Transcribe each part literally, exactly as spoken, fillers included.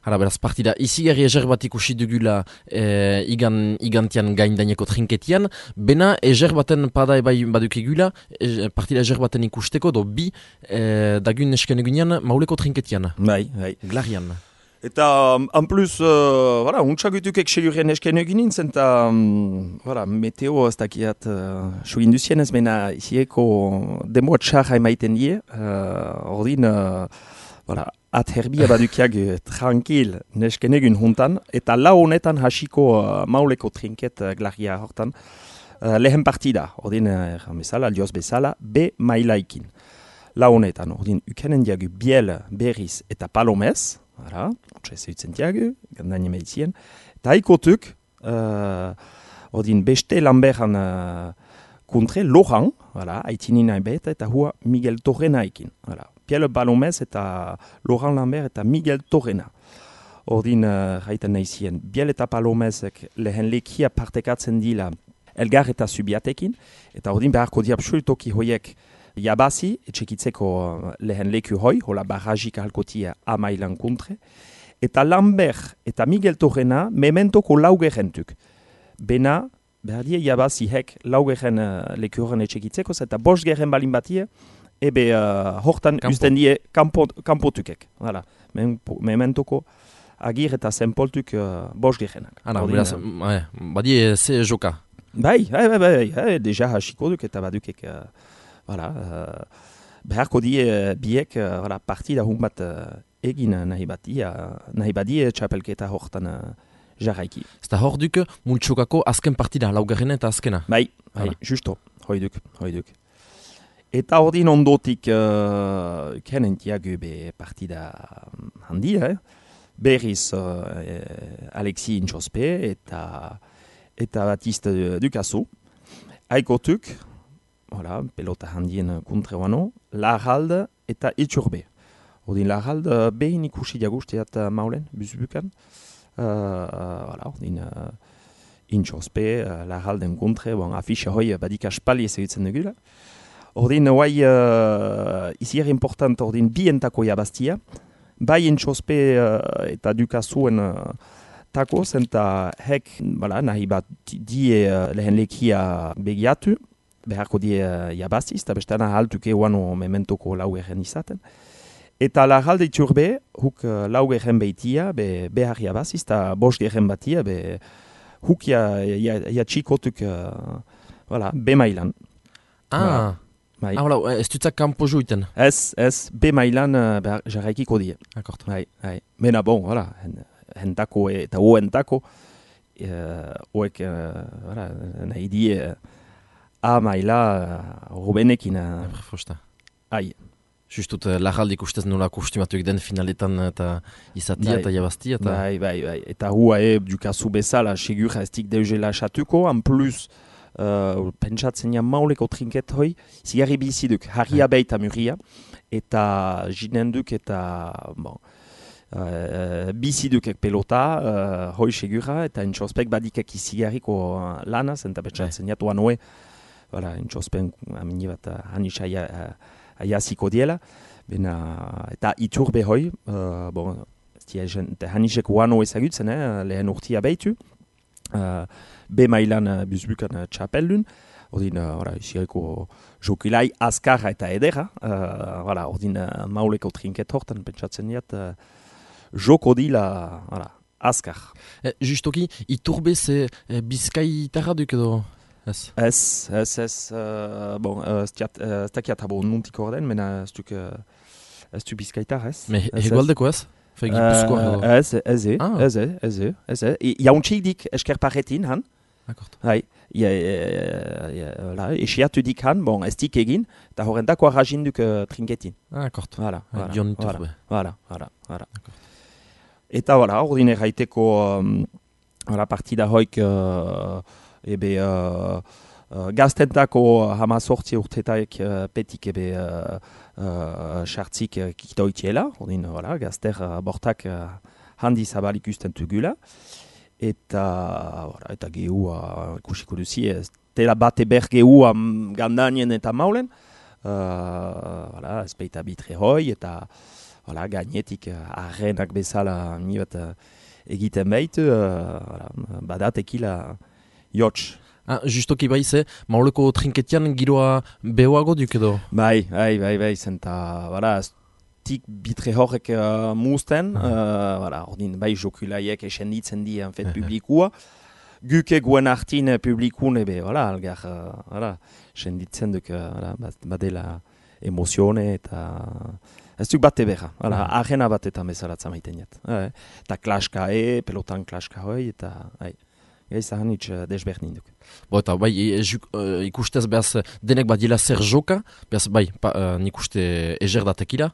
Hala, beraz, partida izigarri ezer bat ikusi dugula e, igan, igantian gaindaineko trinketian, bena ezer baten pada ebai badukegula, e, partida ezer baten ikusteko, do bi e, dagun esken egunean mauleko trinketian. Bai, bai. Glarian. Eta, en plus, uh, voilà, untxagutukek segurien esken egin zen, eta, um, voilà, meteo ez dakiat uh, sugin duzien ez, mena izieko demo txarra emaiten die, uh, ordin, uh, voilà, at herbia badukiak uh, tranquil nesken egin juntan, eta lau honetan hasiko uh, mauleko trinket uh, glaria hortan, uh, lehen partida, ordin, uh, erran bezala, aldioz bezala, be mailaikin. Lau honetan, ordin, ukenen diagu biel, berriz eta palomez, Hala, otsa ez eutzen diagu, gandain emeitzien. Eta haikotuk, uh, odin beste lanberan uh, kontre, lojan, haitinin haibet, eta hua Miguel Torrena ekin. Hala, Piel Balomez eta Lojan Lambert eta Miguel Torrena. Odin, uh, haiten nahizien, Biel eta Palomezek lehen lekia partekatzen dila elgar eta subiatekin, eta odin beharko di absolutoki hoiek Yabazi, etxekitzeko lehen leku hoi, hola barrajik ahalkotia amailan kontre. Eta Lambert eta Miguel Torrena mementoko laugerentuk. Bena, behar die Yabazi hek laugeren uh, leku horren etxekitzeko, eta bost geren balin batie, ebe uh, hortan Kampo. usten die kampo, kampotukek. Hala, mementoko agir eta zenpoltuk uh, bost gerenak. Hala, beraz, uh, badie ze joka. Bai, bai, bai, bai, bai, deja hasiko duk eta badukek... Uh, Voilà, uh, beharko die uh, biek uh, voilà, partida hun bat uh, egin nahi bati, uh, nahi badie txapelketa hortan uh, jarraiki. Zta hor duk, multxokako azken partida, laugarrena eta azkena. Bai, bai, justo, hoi duk, hoi duk. Eta ordin ondotik uh, kenentiagu be partida handia, eh? Berriz uh, eh, Alexis Intxospe eta, eta Batiste Ducasso. Aikotuk, Voilà, pelota handien kontre wano, Larralde eta Iturbe. Odin Larralde behin ikusi diagusteat uh, maulen, buzbukan. Uh, uh, voilà, odin uh, Intxospe, uh, Larralden kontre, bon, afixe hoi badik aspali ez egitzen dugula. Ordin, oai, uh, izier important, ordin bientako jabaztia. Bai Intxospe uh, eta Ducassoen uh, tako, zenta hek, voilà, nahi bat die uh, lehen lekia begiatu. Beharko die uh, jabaziz, eta bestana haltuke uano mementoko laugeren izaten. Eta Larralde Iturbe, huk uh, laugeren behitia, be, behar jabaziz, eta bost geren batia, be, huk ja, ja, ja txikotuk, uh, voilà, be mailan. Ah, voilà. Bai. ah voilà, ez dutzak kampo juiten. Ez, ez, be mailan uh, behar jarraikiko die. Akort. Bai, bai. Mena bon, voilà, hentako eta hoentako, uh, hoek, uh, voilà, nahi die... Uh, A maila uh, Rubenekin. Uh, Fosta. Ai. Justut, uh, Larraldik ustez nola kostumatuik den finaletan eta izatia eta jabaztia. Eta... Bai, bai, bai. Eta hua e, Ducasso bezala, segur ez dik deuzela xatuko, en plus, uh, pentsatzen ja mauleko trinket hoi, zigarri biziduk, harria beita muria, eta jinenduk eta, bon, uh, bizidukek pelota, uh, hoi segura, eta entxospek badikek izigarriko uh, lanaz, eta pentsatzen jatuan hoe, Voilà, intxospen amini bat hanitza aiaziko diela. Bena, eta Iturbe hoi, uh, bon, hanitzek uano ezagutzen, eh, lehen urtia behitu. Uh, be mailan uh, buzbukan uh, txapeldun. Ordin, uh, isireko jokilai azkarra eta edera. Uh, voilà, ordin, uh, mauleko trinket hortan, pentsatzen diat, uh, joko dila, voilà, azkar. Eh, justoki, Iturbe ze eh, bizkaitarra duk edo... Ez, ez, ez, ez, uh, bon, ez uh, takiat habo nuntik orden, mena ez duk, uh, ez du bizkaitar, ez? Me hegoaldeko ez? Fe Gipuzkoa edo? Ez, ez, ez, Ah. ez, ez, ez, ez, jauntxik dik eskerparetin, han? Akort. Hai, esiatu dik han, bon, ez dik egin, eta horrentako arrajinduk uh, trinketin. Ah, akort. Voilà, voilà, Dion voilà, Iturbe. voilà, voilà, voilà. Eta, voilà, ordine gaiteko, um, voilà, partida hoik, uh, ebe uh, uh, gaztentako hamazortzi urtetaik uh, petik ebe sartzik uh, uh, kitoitiela, ordin, voilà, gazter uh, bortak uh, handi zabalik usten tugula, eta, voilà, eta gehua uh, ikusiko duzi, ez tela bate ber gehua gandanien eta maulen, uh, voilà, ez peita bitre hoi, eta voilà, gainetik arrenak bezala ni bat uh, egiten baitu, uh, voilà, badatekila jotx. Ah, justoki bai ze, mauleko trinketian giroa behoago duk edo? Bai, bai, bai, bai, zenta, voilà, tik bitre horrek uh, muzten, uh, voilà, ordin, bai, jokulaiek esenditzen di, en fet, publikua, guke guen artin publikun, ebe, voilà, algar, uh, voilà, esenditzen duk, uh, voilà, badela emozione, eta, ez duk bate beha, voilà, arena bat eta mezaratza maiten jat. Eh, eta klaska e, pelotan klaska hoi, eta, hai. Gaizahan hitz desberdin duk. Bo eta bai, e, e, uh, ikustez behaz denek bat dila zer joka, behaz bai, pa, uh, nik uste ezer datekila.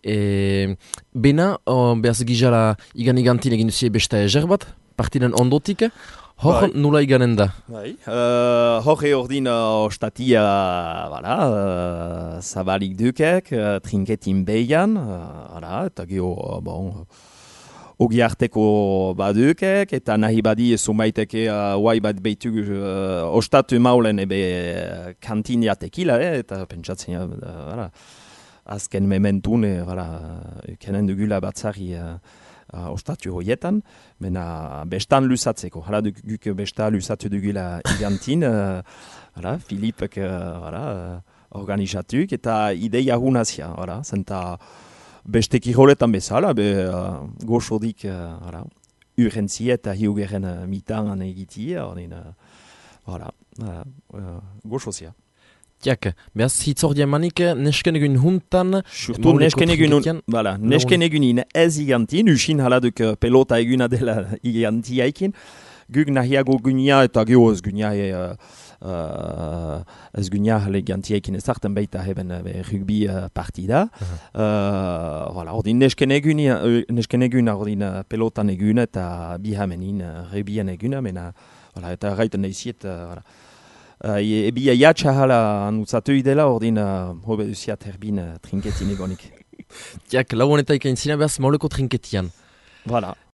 E, bena, uh, behaz gizara igan igantin egin duzie besta ezer bat, partiden ondotik, hor bai. Nula iganen da? Bai, uh, hor ordin uh, ostatia, voilà, uh, zabalik dukek, uh, trinketin behian, uh, eta geho, uh, bon... Ogi arteko badukek, eta nahi badi zumaiteke uh, uai bat behitu uh, ostatu maulen ebe uh, kantin jatekila, eh, eta pentsatzen, uh, voilà, azken mementun, eh, voilà, kenen dugula batzari uh, uh, ostatu hoietan, mena bestan lusatzeko, hala duk besta lusatu dugula igantin, uh, voilà, Filipek uh, voilà, uh, organizatuk, eta ideia hunazia, voilà, zenta... Beste kiroletan bezala, be uh, goxodik uh, urgentzia eta hiugeren uh, mitan egitia, ordin, uh, voilà, uh, uh, goxozia. Tiak, behaz hitzordia manik nesken egun huntan... Surtu nesken egun, voilà, nesken egunin ez igantin, usin haladuk pelota eguna dela igantiaikin, guk nahiago gunia eta geho ez gunia uh, Uh, ez gunia legantiaikin ezartan baita heben uh, rugby uh, partida. Uh-huh. Uh, voilà, ordin nesken eguna, uh, nesken eguna, ordin uh, pelotan eguna eta bihamenin uh, rugbyan eguna, mena, voilà, eta gaiten eiziet, uh, voilà. Uh, e, ebia jatsa hala anutzatu idela, ordin uh, hobe duziat herbin uh, trinketin egonik. Tiak, lau honeta ikain zina behaz mauleko trinketian. Voilà.